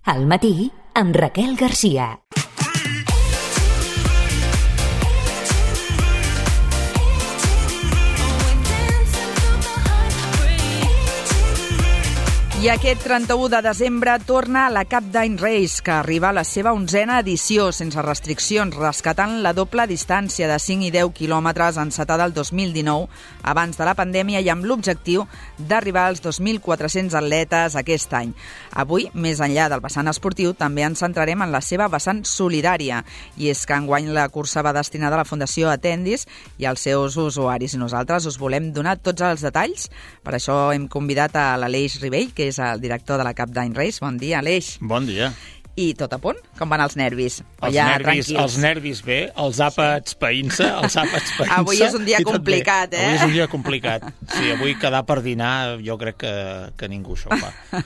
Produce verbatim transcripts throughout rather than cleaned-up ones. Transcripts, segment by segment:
Al matí, amb Raquel Garcia. I aquest trenta-u de desembre torna la Cap d'Any Race, que arriba a la seva onzena edició, sense restriccions, rescatant la doble distància de cinc i deu quilòmetres encetada el dos mil dinou, abans de la pandèmia, i amb l'objectiu d'arribar als dos mil quatre-cents atletes aquest any. Avui, més enllà del vessant esportiu, també ens centrarem en la seva vessant solidària, i és que enguany la cursa va destinada a la Fundació Atendis i als seus usuaris, i nosaltres us volem donar tots els detalls. Per això hem convidat a l'Aleix Ribell, que és el director de la Cap d'Any Race. Bon dia, Aleix. Bon dia. I tot a punt? Com van els nervis? Els, ja, nervis, els nervis bé, els àpats sí. païnt-se, els àpats païnt-se. Avui és un dia complicat, eh? Avui és un dia complicat. Sí, avui quedar per dinar, jo crec que, que ningú això ho fa.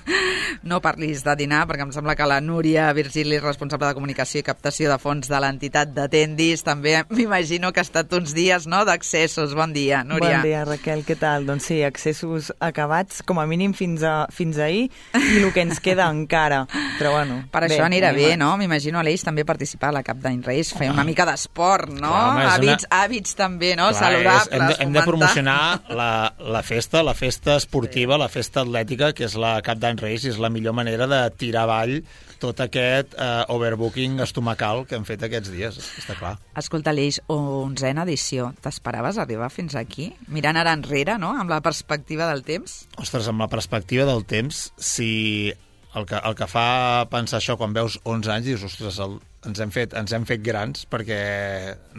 No parlis de dinar, perquè em sembla que la Núria Virgili, responsable de comunicació i captació de fons de l'entitat d'Atendis, també m'imagino que ha estat uns dies, no?, d'accessos. Bon dia, Núria. Bon dia, Raquel, què tal? Doncs sí, accessos acabats, com a mínim fins, a, fins ahir, i el que ens queda encara. Però bueno, per bé. Això anirà bé, no? M'imagino Aleix també participar a la Cap d'Any Race, fer una mica d'esport, no? Clar, home, hàbits, una... hàbits també, no? Clar, saludables. És, hem, de, hem de promocionar la, la festa, la festa esportiva, sí. la festa atlètica, que és la Cap d'Any Race, i és la millor manera de tirar avall tot aquest uh, overbooking estomacal que hem fet aquests dies, està clar. Escolta, Aleix, onzena edició. T'esperaves arribar fins aquí? Mirant ara enrere, no?, amb la perspectiva del temps? Ostres, amb la perspectiva del temps, si... El que, el que fa pensar això quan veus onze anys, dius, ostres, el, ens, hem fet, ens hem fet grans, perquè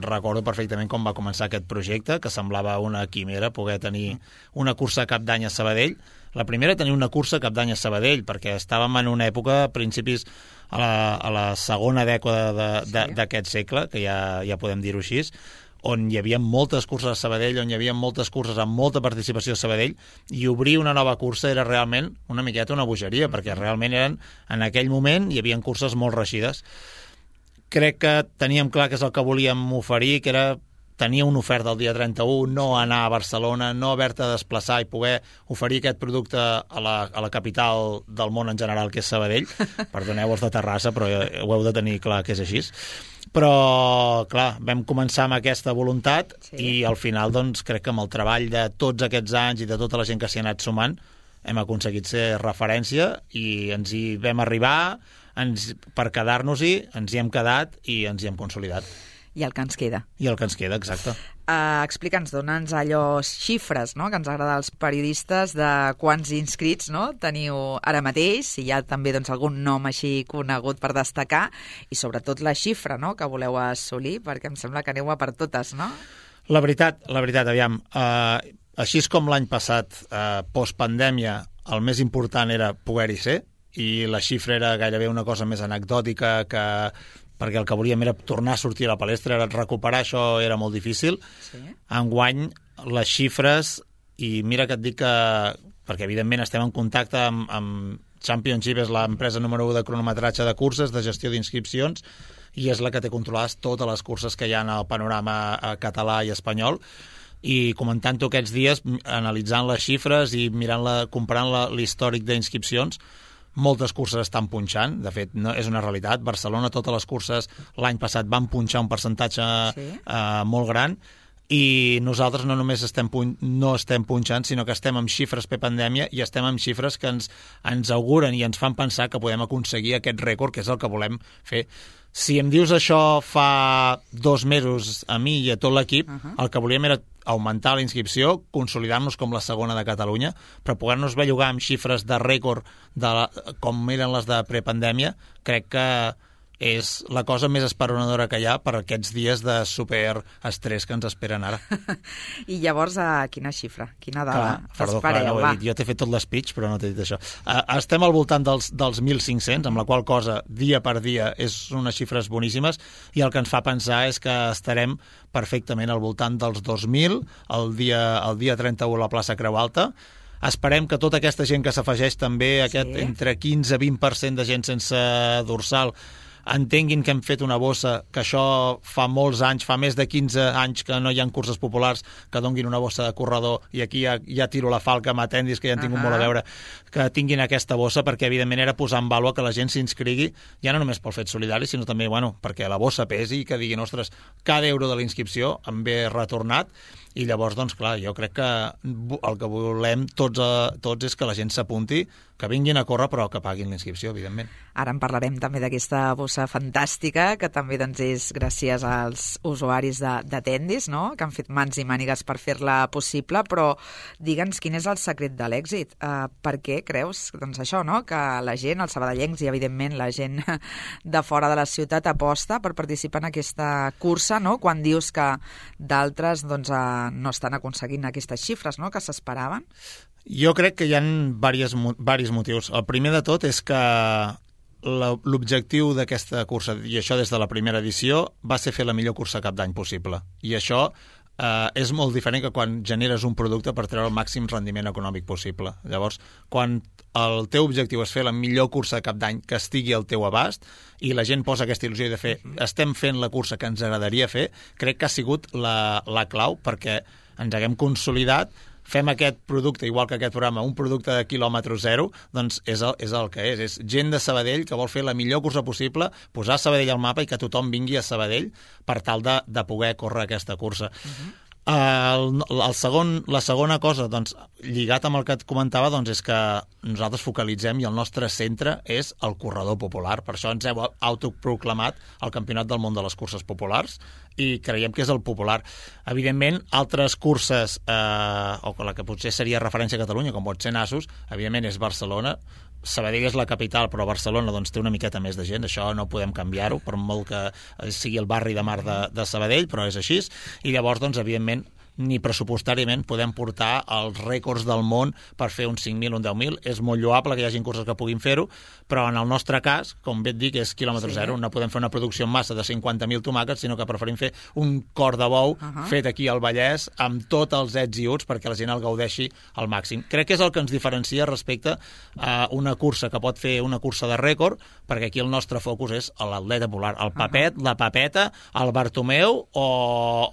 recordo perfectament com va començar aquest projecte, que semblava una quimera poder tenir una cursa a Cap d'Any a Sabadell. La primera, tenir una cursa a Cap d'Any a Sabadell, perquè estàvem en una època, a principis, a la, a la segona dècada d'aquest sí. segle, que ja, ja podem dir-ho així, on hi havia moltes curses a Sabadell, on hi havia moltes curses amb molta participació a Sabadell, i obrir una nova cursa era realment una miqueta una bogeria, perquè realment eren, en aquell moment, hi havia curses molt reeixides. Crec que teníem clar que és el que volíem oferir, que era tenir una oferta el dia trenta-u, no anar a Barcelona, no haver-te de desplaçar i poder oferir aquest producte a la, a la capital del món en general, que és Sabadell. Perdoneu els de Terrassa, però ho heu de tenir clar que és així. Però, clar, vam començar amb aquesta voluntat sí. i al final, doncs, crec que amb el treball de tots aquests anys i de tota la gent que s'hi ha anat sumant, hem aconseguit ser referència i ens hi vam arribar, ens, per quedar-nos-hi, ens hi hem quedat i ens hi hem consolidat. I el que ens queda. I el que ens queda, exacte. Uh, Explica'ns, dona'ns allò xifres, no?, que ens agrada als periodistes, de quants inscrits, no?, teniu ara mateix, si hi ha també doncs, algun nom així conegut per destacar, i sobretot la xifra, no?, que voleu assolir, perquè em sembla que aneu a per totes, no? La veritat, la veritat, aviam, uh, així com l'any passat, uh, postpandèmia, el més important era poder-hi ser, i la xifra era gairebé una cosa més anecdòtica que... perquè el que volíem era tornar a sortir a la palestra, era recuperar això era molt difícil. Sí. Enguany, les xifres, i mira que et dic que, perquè evidentment estem en contacte amb, amb Championship, és l'empresa número u de cronometratge de curses, de gestió d'inscripcions, i és la que té controlades totes les curses que hi ha al panorama català i espanyol, i comentant-ho aquests dies, analitzant les xifres i mirant la, comparant l'històric d'inscripcions, moltes curses estan punxant, de fet no, és una realitat. Barcelona, totes les curses l'any passat van punxar un percentatge sí. eh, molt gran, i nosaltres no només estem punt, no estem punxant, sinó que estem amb xifres pre-pandèmia i estem amb xifres que ens, ens auguren i ens fan pensar que podem aconseguir aquest rècord, que és el que volem fer. Si em dius això fa dos mesos a mi i a tot l'equip, uh-huh. el que volíem era augmentar la inscripció, consolidar-nos com la segona de Catalunya, però poder-nos bellugar amb xifres de rècord de la, com eren les de prepandèmia, crec que és la cosa més esperonadora que hi ha per aquests dies de superestrès que ens esperen ara. I llavors, a quina xifra? Quina dada clar, perdó, espereu? Clar, no ho he dit. Jo t'he fet tot l'speech, però no t'he dit això. Uh, estem al voltant dels, dels mil cinc-cents, amb la qual cosa, dia per dia, és unes xifres boníssimes, i el que ens fa pensar és que estarem perfectament al voltant dels dos mil el dia, el dia trenta-u a la plaça Creu Alta. Esperem que tota aquesta gent que s'afegeix també, aquest sí. entre quinze i vint per cent de gent sense dorsal, entenguin que hem fet una bossa, que això fa molts anys, fa més de quinze anys que no hi ha curses populars, que donguin una bossa de corredor, i aquí ja, ja tiro la falca amb Attendis, que ja han tingut uh-huh. molt a veure, que tinguin aquesta bossa, perquè evidentment era posar en vàlua que la gent s'inscrigui, ja no només pel fet solidari, sinó també, bueno, perquè la bossa pesi i que diguin, ostres, cada euro de la inscripció em ve retornat. I llavors, doncs, clar, jo crec que el que volem tots, a, tots és que la gent s'apunti, que vinguin a córrer, però que paguin la inscripció, evidentment. Ara en parlarem també d'aquesta bossa fantàstica, que també doncs, és gràcies als usuaris d'Attendis, no?, que han fet mans i mànigues per fer-la possible, però digue'ns quin és el secret de l'èxit. Uh, per què creus, doncs això, no?, que la gent, els sabadellencs i, evidentment, la gent de fora de la ciutat aposta per participar en aquesta cursa, no?, quan dius que d'altres, doncs, uh, no estan aconseguint aquestes xifres, no?, que s'esperaven? Jo crec que hi ha diversos, diversos motius. El primer de tot és que l'objectiu d'aquesta cursa, i això des de la primera edició, va ser fer la millor cursa cap d'any possible. I això eh, és molt diferent que quan generes un producte per treure el màxim rendiment econòmic possible. Llavors, quan el teu objectiu és fer la millor cursa de cap d'any que estigui al teu abast i la gent posa aquesta il·lusió de fer, estem fent la cursa que ens agradaria fer, crec que ha sigut la, la clau perquè ens haguem consolidat, fem aquest producte, igual que aquest programa, un producte de quilòmetre zero, doncs és el, és el que és. És gent de Sabadell que vol fer la millor cursa possible, posar Sabadell al mapa i que tothom vingui a Sabadell per tal de, de poder córrer aquesta cursa. Uh-huh. El, el segon, la segona cosa, doncs, lligat amb el que et comentava, doncs, és que nosaltres focalitzem i el nostre centre és el corredor popular. Per això ens heu autoproclamat el Campionat del Món de les Curses Populars i creiem que és el popular. Evidentment, altres curses, eh, o la que potser seria referència a Catalunya, com pot ser Nassos, evidentment és Barcelona. Sabadell és la capital, però Barcelona doncs, té una miqueta més de gent, això no podem canviar-ho, per molt que sigui el barri de mar de, de Sabadell, però és així. I llavors, doncs, evidentment, ni pressupostàriament podem portar els rècords del món per fer uns cinc mil, un deu mil. És molt lloable que hi hagi curses que puguin fer-ho, però en el nostre cas, com bé et dic, és quilòmetre sí. zero. No podem fer una producció en massa de cinquanta mil tomàquets, sinó que preferim fer un cor de bou uh-huh. fet aquí al Vallès, amb tots els ets i uts, perquè la gent el gaudeixi al màxim. Crec que és el que ens diferencia respecte a una cursa que pot fer una cursa de rècord, perquè aquí el nostre focus és l'atleta popular, el Papet, uh-huh. la Papeta, el Bartomeu o,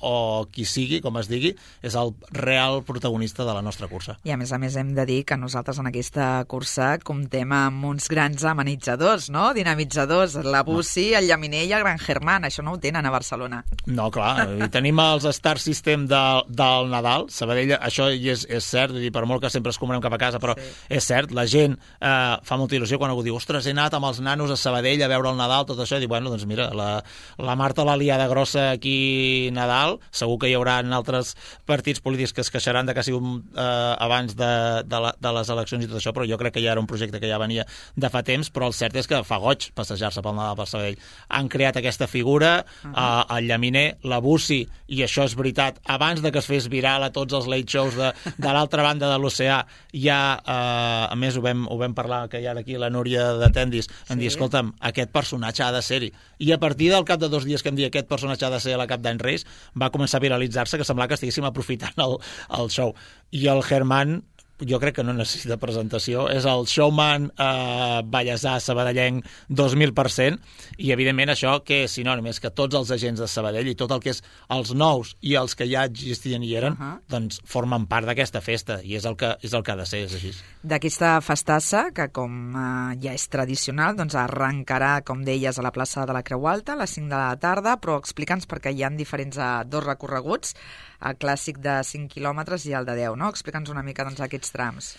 o qui sigui, com es digui, és el real protagonista de la nostra cursa. I a més a més hem de dir que nosaltres en aquesta cursa comptem amb uns grans amenitzadors, no? Dinamitzadors, la Bussi, no. el Llaminer i el Gran Germán. Això no ho tenen a Barcelona. No, clar. Tenim els Star System de, del Nadal. Sabadell, això hi és, és cert, dir, per molt que sempre es comunem cap a casa, però sí. és cert, la gent eh, fa molta il·lusió quan algú diu, ostres, he anat amb els nanos a Sabadell a veure el Nadal, tot això, i diu, bueno, doncs mira, la, la Marta la liada grossa aquí Nadal, segur que hi haurà altres partits polítics que es queixaran de que ha sigut eh, abans de, de, la, de les eleccions i tot això, però jo crec que ja era un projecte que ja venia de fa temps, però el cert és que fa goig passejar-se pel Nadal per Sabadell. Han creat aquesta figura, uh-huh. eh, el Llaminer, la Bussi, i això és veritat, abans de que es fes viral a tots els late shows de, de l'altra banda de l'oceà, ja, eh, a més ho vam, ho vam parlar, que hi ha aquí la Núria d'Attendis, em sí. dir, escolta'm, aquest personatge ha de ser-hi. I a partir del cap de dos dies que em dir aquest personatge ha de ser a la Cap d'Any Reis, va començar a viralitzar-se, que semblava que estiguéssim aprofitant el, el show. I el Germán, jo crec que no necessita presentació, és el showman eh, ballesà sabadellenc dos mil per cent, i evidentment això que és sinònim, és que tots els agents de Sabadell i tot el que és els nous i els que ja existien i eren, uh-huh. doncs formen part d'aquesta festa, i és el que, és el que ha de ser, és així. D'aquesta festassa, que com eh, ja és tradicional, doncs arrencarà, com deies, a la plaça de la Creu Alta a les cinc de la tarda, però explica'ns, perquè hi ha diferents eh, dos recorreguts, el clàssic de cinc quilòmetres i el de deu, no? Explica'ns una mica doncs, aquests trams.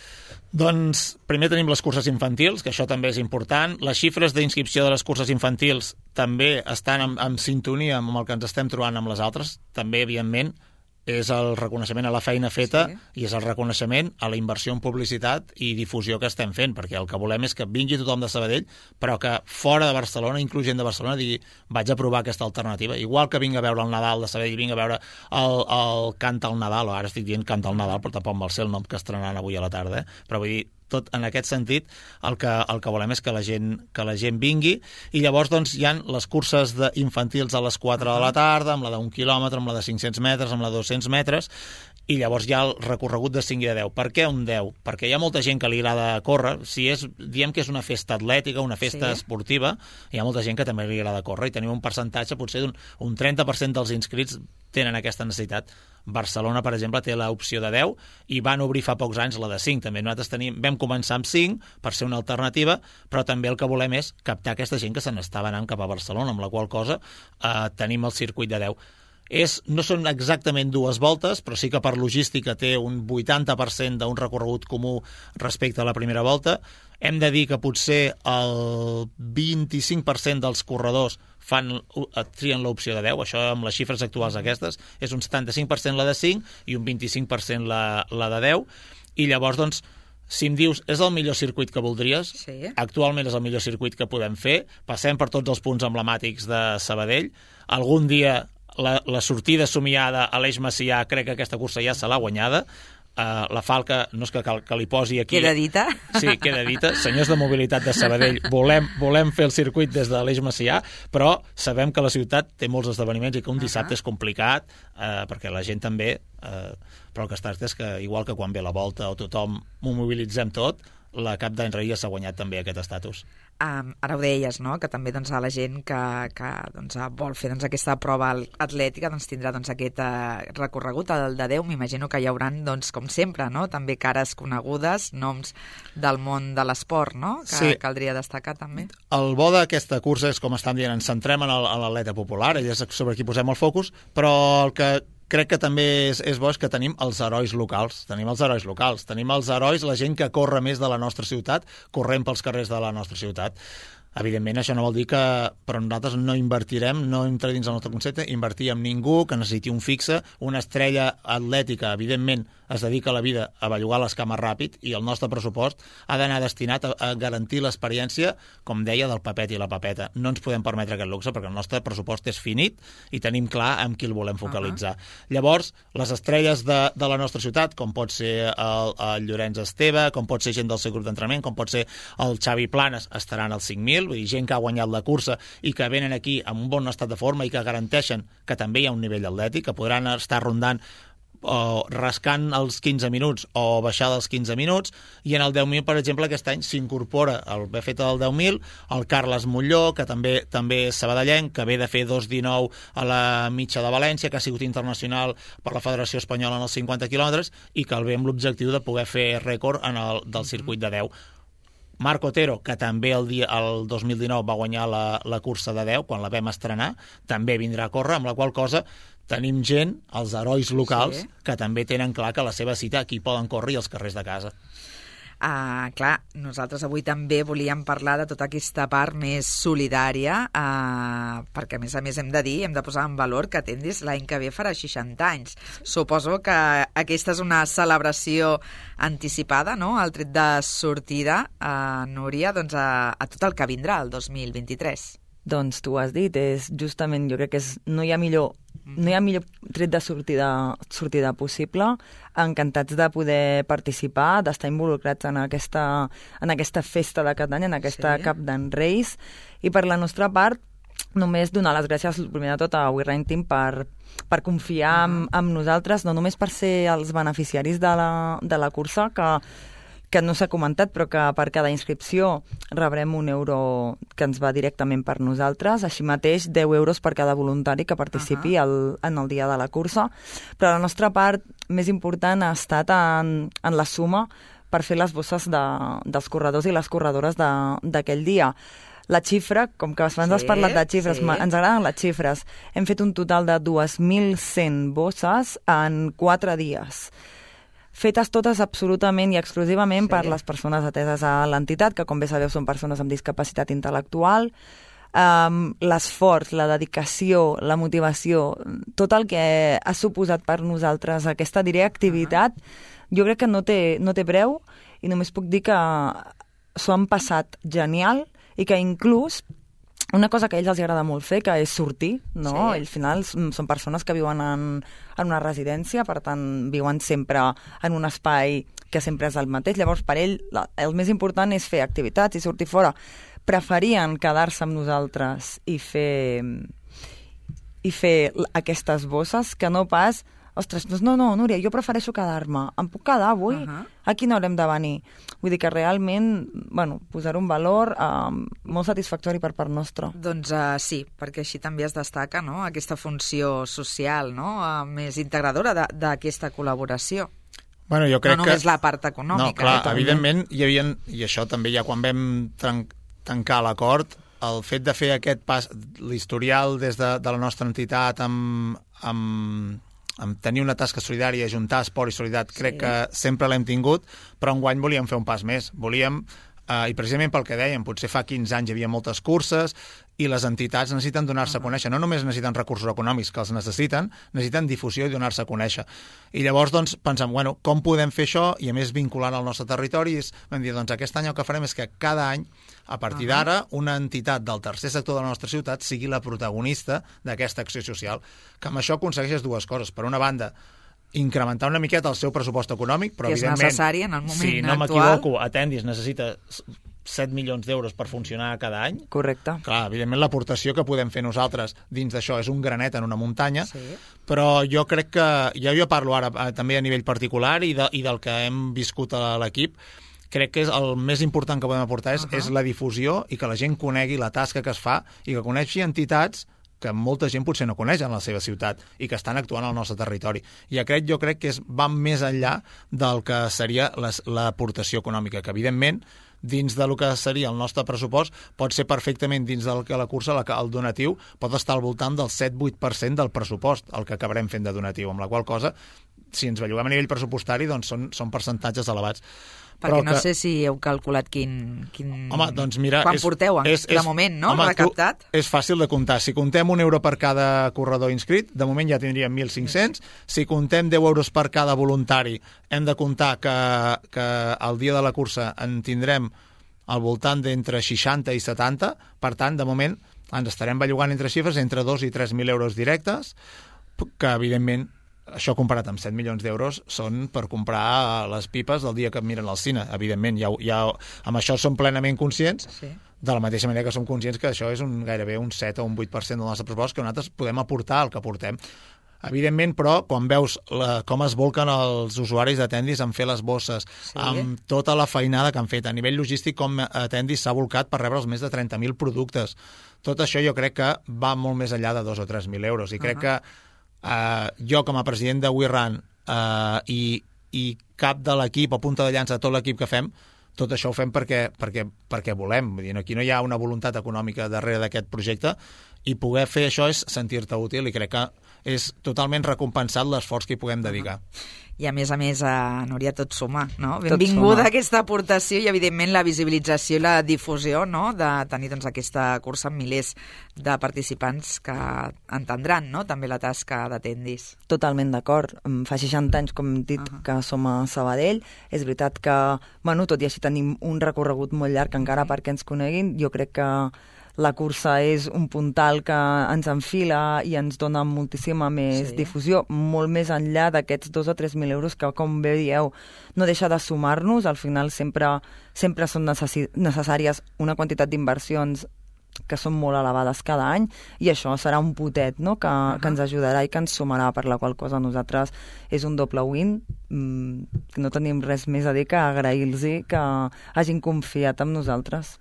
Doncs primer tenim les curses infantils, que això també és important. Les xifres d'inscripció de les curses infantils també estan en, en sintonia amb el que ens estem trobant amb les altres, també, evidentment, és el reconeixement a la feina feta sí. i és el reconeixement a la inversió en publicitat i difusió que estem fent, perquè el que volem és que vingui tothom de Sabadell, però que fora de Barcelona, inclús gent de Barcelona, digui, vaig a provar aquesta alternativa. Igual que vinc a veure el Nadal de Sabadell, vinc a veure el, el Canta el Nadal, o ara estic dient Canta el Nadal, però tampoc vol ser el nom que estrenaran avui a la tarda, eh? Però vull dir, tot en aquest sentit, el que, el que volem és que la gent, que la gent vingui, i llavors doncs, hi ha les curses de infantils a les quatre de la tarda, amb la d'un quilòmetre, amb la de cinc-cents metres, amb la de dos-cents metres, i llavors hi ha el recorregut de cinc i de deu. Per què un deu? Perquè hi ha molta gent que li agrada córrer. Si és, diem que és una festa atlètica, una festa sí. esportiva, hi ha molta gent que també li agrada córrer i tenim un percentatge, potser d'un un trenta per cent dels inscrits tenen aquesta necessitat. Barcelona, per exemple, té l'opció de deu i van obrir fa pocs anys la de cinc. També nosaltres tenim, vam començar amb cinc per ser una alternativa, però també el que volem és captar aquesta gent que se n'estava anant cap a Barcelona, amb la qual cosa eh, tenim el circuit de deu. És, no són exactament dues voltes, però sí que per logística té un vuitanta per cent d'un recorregut comú respecte a la primera volta. Hem de dir que potser el vint-i-cinc per cent dels corredors fan, trien l'opció de deu, això amb les xifres actuals aquestes, és un setanta-cinc per cent la de cinc i un vint-i-cinc per cent la, la de deu, i llavors, doncs, si em dius, és el millor circuit que voldries? Sí. Actualment és el millor circuit que podem fer, passem per tots els punts emblemàtics de Sabadell, algun dia La, la sortida somiada a l'Eix Macià, crec que aquesta cursa ja se l'ha guanyada. Uh, la falca, no és que, cal, que li posi aquí... Queda dita. Sí, queda dita. Senyors de mobilitat de Sabadell, volem, volem fer el circuit des de l'Eix Macià, però sabem que la ciutat té molts esdeveniments i que un dissabte uh -huh. és complicat, uh, perquè la gent també... Uh, però el que es tracta és que, igual que quan ve la volta o tothom ho mobilitzem tot, la Cap d'Any Reis s'ha guanyat també aquest estatus. Um, ara ho deies, no?, que també doncs, a la gent que, que doncs, vol fer doncs, aquesta prova atlètica doncs, tindrà doncs, aquest uh, recorregut, el de deu. M'imagino que hi haurà, doncs, com sempre, no?, també cares conegudes, noms del món de l'esport, no?, que sí. Caldria destacar també. El bo d'aquesta cursa és, com estàvem dient, ens centrem en l'atleta popular, ell és sobre qui posem el focus, però el que crec que també és, és bo és que tenim els herois locals. Tenim els herois locals. Tenim els herois, la gent que corre més de la nostra ciutat, corrent pels carrers de la nostra ciutat. Evidentment, això no vol dir que... Però nosaltres no invertirem, no entra dins el nostre concepte, invertir en ningú que necessiti un fixe. Una estrella atlètica, evidentment, es dedica a la vida a bellugar les cames ràpid i el nostre pressupost ha d'anar destinat a, a garantir l'experiència, com deia, del papet i la papeta. No ens podem permetre aquest luxe perquè el nostre pressupost és finit i tenim clar amb qui el volem focalitzar. Uh-huh. Llavors, les estrelles de, de la nostra ciutat, com pot ser el, el Llorenç Esteve, com pot ser gent del seu grup d'entrenament, com pot ser el Xavi Planes, estaran als cinc mil, vull dir, gent que ha guanyat la cursa i que venen aquí amb un bon estat de forma i que garanteixen que també hi ha un nivell atlètic, que podran estar rondant o rascant els quinze minuts o baixar dels quinze minuts, i en el deu mil, per exemple, aquest any s'incorpora el B F T del deu mil, el Carles Molló, que també també és sabadellenc, que ve de fer dos dinou a la mitja de València, que ha sigut internacional per la Federació Espanyola en els cinquanta quilòmetres i que el ve amb l'objectiu de poder fer rècord en el, del circuit de deu. Marc Otero, que també el, dia, el dos mil dinou va guanyar la, la cursa de deu, quan la vam estrenar, també vindrà a córrer, amb la qual cosa tenim gent, els herois locals, sí. que també tenen clar que la seva cita aquí poden córrer i als carrers de casa. Uh, clar, nosaltres avui també volíem parlar de tota aquesta part més solidària, uh, perquè a més a més hem de dir, hem de posar en valor que Tendis l'any que ve farà seixanta anys. Suposo que aquesta és una celebració anticipada, no?, el tret de sortida, uh, Núria, doncs a, a tot el que vindrà el dos mil vint-i-tres. Doncs tu ho has dit, és justament, jo crec que és, no hi ha millor no hi ha millor tret de sortida, sortida possible. Encantats de poder participar, d'estar involucrats en aquesta, en aquesta festa de cada any, en aquesta sí. Cap d'Any Reis. I per la nostra part, només donar les gràcies, primer de tot, a We Run Team per, per confiar uh-huh. en, en nosaltres, no només per ser els beneficiaris de la, de la cursa, que que no s'ha comentat, però que per cada inscripció rebrem un euro que ens va directament per nosaltres, així mateix deu euros per cada voluntari que participi uh-huh. el, en el dia de la cursa. Però la nostra part més important ha estat en, en la suma per fer les bosses de, dels corredors i les corredores d'aquell dia. La xifra, com que abans sí, has parlat de xifres, sí. ens agraden les xifres, hem fet un total de dos mil cent bosses en quatre dies. Fetes totes absolutament i exclusivament sí. per les persones ateses a l'entitat, que com bé sabeu són persones amb discapacitat intel·lectual. Um, l'esforç, la dedicació, la motivació, tot el que ha suposat per nosaltres aquesta, diré, activitat, uh-huh. jo crec que no té, no té preu, i només puc dir que s'ho han passat genial i que inclús una cosa que a ells els agrada molt fer, que és sortir, no? Sí. Al final són persones que viuen en, en una residència, per tant, viuen sempre en un espai que sempre és el mateix. Llavors, per ell, la, el més important és fer activitats i sortir fora. Preferien quedar-se amb nosaltres i fer, i fer aquestes bosses que no pas ostres, doncs no, no, Núria, jo prefereixo quedar-me. Em puc quedar avui? Uh -huh. Aquí no haurem de venir. Vull dir que realment, bueno, posar un valor eh, molt satisfactori per part nostra. Doncs uh, sí, perquè així també es destaca, no?, aquesta funció social, no?, uh, més integradora d'aquesta col·laboració. Bueno, jo crec no només que... la part econòmica. No, clar, eh, evidentment, hi havia, i això també ja quan vam tren tancar l'acord, el fet de fer aquest pas, l'historial des de, de la nostra entitat amb, amb, amb tenir una tasca solidària, ajuntar esport i solidaritat, crec sí. que sempre l'hem tingut, però enguany volíem fer un pas més. Volíem, eh, i precisament pel que dèiem, potser fa quinze anys hi havia moltes curses i les entitats necessiten donar-se uh -huh. a conèixer. No només necessiten recursos econòmics, que els necessiten, necessiten difusió i donar-se a conèixer. I llavors, doncs, pensem, bueno, com podem fer això? I a més, vinculant al nostre territori, és, vam dir, doncs, aquest any el que farem és que cada any, a partir uh -huh. d'ara, una entitat del tercer sector de la nostra ciutat sigui la protagonista d'aquesta acció social, que amb això aconsegueixes dues coses. Per una banda, incrementar una miqueta el seu pressupost econòmic, però que és evidentment, necessari en el moment si no actual. m'equivoco, Attendis necessita set milions d'euros per funcionar cada any. Correcte. Clar, evidentment l'aportació que podem fer nosaltres dins d'això és un granet en una muntanya, sí. però jo crec que, ja jo parlo ara eh, també a nivell particular i, de, i del que hem viscut a l'equip, crec que és el més important que podem aportar és, uh -huh. és la difusió i que la gent conegui la tasca que es fa i que coneixi entitats que molta gent potser no coneix en la seva ciutat i que estan actuant al nostre territori. I aquest jo crec que és, va més enllà del que seria l'aportació econòmica, que evidentment dins del que seria el nostre pressupost pot ser perfectament dins del que la cursa el donatiu pot estar al voltant del set vuit per cent del pressupost, el que acabarem fent de donatiu, amb la qual cosa, si ens belluguem a nivell pressupostari, doncs són, són percentatges elevats. Perquè Però no que... sé si heu calculat quin... quin... Home, doncs mira... Quan és, porteu, en, és, de és, moment, no? Home, recaptat? Tu, és fàcil de comptar. Si comptem un euro per cada corredor inscrit, de moment ja tindríem mil cinc-cents. Si comptem deu euros per cada voluntari, hem de comptar que, que el dia de la cursa en tindrem al voltant d'entre seixanta i setanta. Per tant, de moment, ens estarem bellugant entre xifres entre dos i tres mil euros directes, que, evidentment, això comparat amb set milions d'euros són per comprar les pipes del dia que miren al cine. Evidentment, ja, ja, amb això som plenament conscients, sí. de la mateixa manera que som conscients que això és un, gairebé un set o un vuit per cent del nostre pressupost que nosaltres podem aportar el que aportem. Evidentment, però, quan veus la, com es volquen els usuaris d'Attendis en fer les bosses, sí. amb tota la feinada que han fet, a nivell logístic, com Attendis s'ha volcat per rebre els més de trenta mil productes, tot això jo crec que va molt més enllà de dos o tres mil euros. I crec uh -huh. que Uh, jo com a president de We Run uh, i, i cap de l'equip o punta de llança de tot l'equip que fem, tot això ho fem perquè, perquè, perquè volem. Vull dir, aquí no hi ha una voluntat econòmica darrere d'aquest projecte i poder fer això és sentir-te útil i crec que és totalment recompensat l'esforç que hi puguem dedicar. I a més a més, a Núria, tot suma, no? Benvinguda aquesta aportació i evidentment la visibilització i la difusió, no?, de tenir doncs aquesta cursa amb milers de participants que entendran, no?, també la tasca d'Attendis. Totalment d'acord. Fa seixanta anys, com hem dit, uh -huh. que som a Sabadell. És veritat que, bueno, tot i així tenim un recorregut molt llarg encara perquè ens coneguin. Jo crec que la cursa és un puntal que ens enfila i ens dona moltíssima més sí. difusió, molt més enllà d'aquests dos o tres mil euros que, com bé dieu, no deixa de sumar-nos. Al final sempre, sempre són necessi- necessàries una quantitat d'inversions que són molt elevades cada any i això serà un potet, no?, que, uh-huh. que ens ajudarà i que ens sumarà, per la qual cosa nosaltres és un doble win. Mm, no tenim res més a dir que agrair-los que hagin confiat en nosaltres.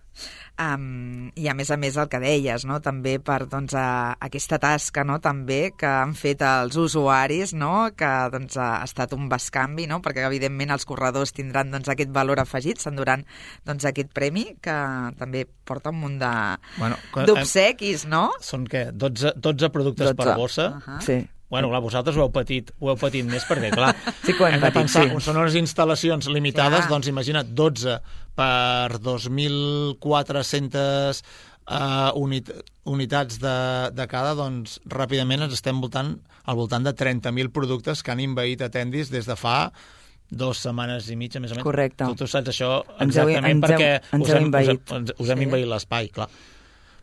Um, I a més a més el que deies, no?, també per doncs, a, aquesta tasca, no?, també que han fet els usuaris, no?, que doncs, ha estat un bescanvi, no?, perquè evidentment els corredors tindran doncs, aquest valor afegit, s'enduran doncs, aquest premi que també porta un munt de bueno, d'obsequis, no? Són què? dotze, dotze productes dotze. Per bossa? Uh -huh. Sí. Bueno, clar, vosaltres ho heu patit, ho heu patit més perquè, clar, sí que ho hem, hem patit, de pensar, sí. Són unes instal·lacions limitades, clar. Doncs imagina't, dotze per dos mil quatre-centes uh, unit, unitats de, de cada, doncs ràpidament ens estem voltant al voltant de trenta mil productes que han invaït Attendis des de fa dues setmanes i mitja, més o menys. Correcte. Tu, tu saps això ens exactament heu, ens perquè heu, ens us, hem, invaït. us, hem, us hem sí. invaït l'espai, clar.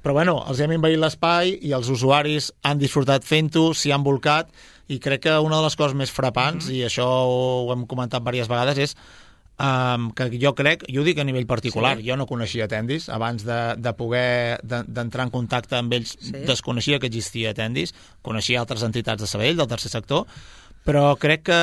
Però bueno, els hem invaït l'espai i els usuaris han disfrutat fent-ho, s'hi han volcat i crec que una de les coses més frapants, mm-hmm. i això ho hem comentat diverses vegades, és Um, que jo crec, jo ho dic a nivell particular, sí. Jo no coneixia Tendis, abans de, de poder d'entrar en contacte amb ells, sí. Desconeixia que existia Tendis, coneixia altres entitats de Sabadell, del tercer sector, però crec que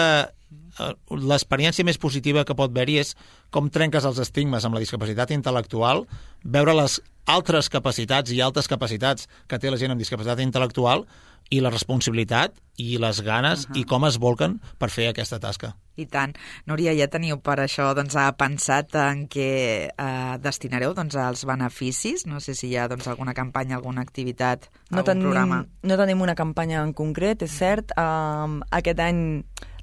l'experiència més positiva que pot haver-hi és com trenques els estigmes amb la discapacitat intel·lectual, veure les altres capacitats i altes capacitats que té la gent amb discapacitat intel·lectual i la responsabilitat i les ganes uh-huh. i com es volquen per fer aquesta tasca. I tant. Núria, ja teniu per això doncs, pensat en què eh, destinareu doncs, els beneficis? No sé si hi ha doncs, alguna campanya, alguna activitat, no algun tenim, programa. No tenim una campanya en concret, és cert. Um, aquest any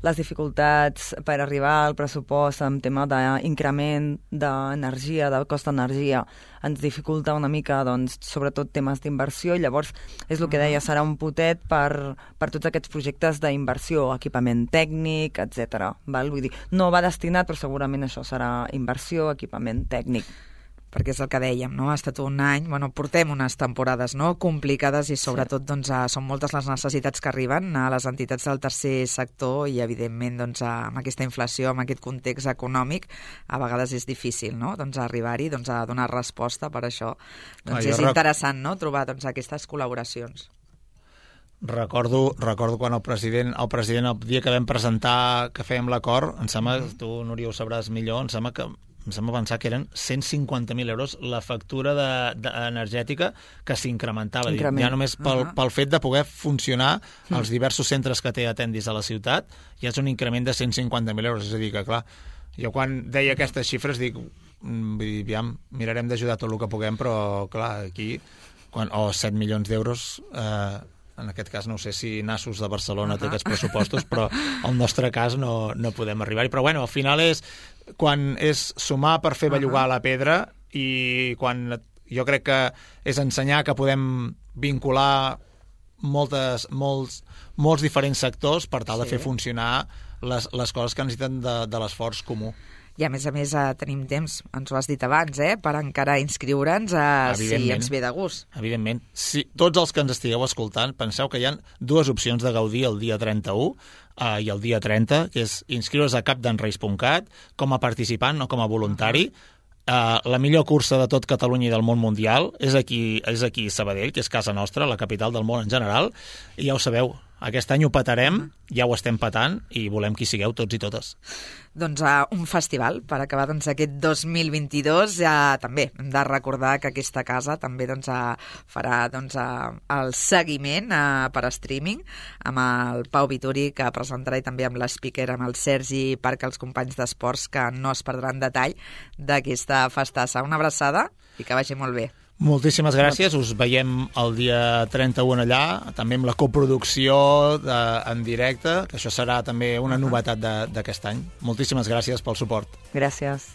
les dificultats per arribar al pressupost en tema d'increment d'energia, del cost d'energia, ens dificulta una mica, doncs, sobretot temes d'inversió, i llavors és el que deia, serà un potet per, per tots aquests projectes d'inversió, equipament tècnic, etcètera. Val? Vull dir, no va destinat, però segurament això serà inversió, equipament tècnic. Perquè és el que dèiem, no? Ha estat un any, bueno, portem unes temporades no? complicades i sobretot sí. doncs, són moltes les necessitats que arriben a les entitats del tercer sector i evidentment doncs, amb aquesta inflació, amb aquest context econòmic, a vegades és difícil no? doncs, arribar-hi doncs, a donar resposta per això. Doncs ah, és rec... interessant no? trobar doncs, aquestes col·laboracions. Recordo, recordo quan el president, el president el dia que vam presentar que fèiem l'acord, em sembla, mm. tu Núria ho sabràs millor, em sembla que em sembla pensar que eren cent cinquanta mil euros la factura de, de, energètica que s'incrementava. Ja només pel, uh -huh. pel fet de poder funcionar mm. els diversos centres que té Atendis a la ciutat, ja és un increment de cent cinquanta mil euros. És a dir, que clar, jo quan deia aquestes xifres dic, vull dir, aviam, mirarem d'ajudar tot el que puguem, però clar, aquí, quan, o oh, set milions d'euros... Eh, en aquest cas no sé si Nassos de Barcelona uh -huh. té aquests pressupostos, però al nostre cas no, no podem arribar-hi. Però bueno, al final és quan és sumar per fer bellugar uh -huh. la pedra i quan jo crec que és ensenyar que podem vincular moltes, molts, molts diferents sectors per tal sí. de fer funcionar les, les coses que necessiten de, de l'esforç comú. I a més a més eh, tenim temps, ens ho has dit abans, eh, per encara inscriure'ns eh, si ens ve de gust. Evidentment. Si tots els que ens estigueu escoltant, penseu que hi ha dues opcions de gaudir el dia trenta-u eh, i el dia trenta, que és inscriure's a capdanreis punt cat com a participant o com a voluntari. Uh, la millor cursa de tot Catalunya i del món mundial és aquí, és aquí a Sabadell, que és casa nostra, la capital del món en general, i ja ho sabeu, aquest any ho petarem, ja ho estem petant i volem que hi sigueu tots i totes. Doncs uh, un festival per acabar doncs, aquest dos mil vint-i-dos. Uh, també hem de recordar que aquesta casa també doncs, uh, farà doncs, uh, el seguiment uh, per streaming amb el Pau Vituri, que presentarà, i també amb l'speaker, amb el Sergi Parc, els companys d'esports, que no es perdran detall d'aquesta festassa. Una abraçada i que vagi molt bé. Moltíssimes gràcies, us veiem el dia trenta-u allà, també amb la coproducció de, en directe, que això serà també una novetat d'aquest any. Moltíssimes gràcies pel suport. Gràcies.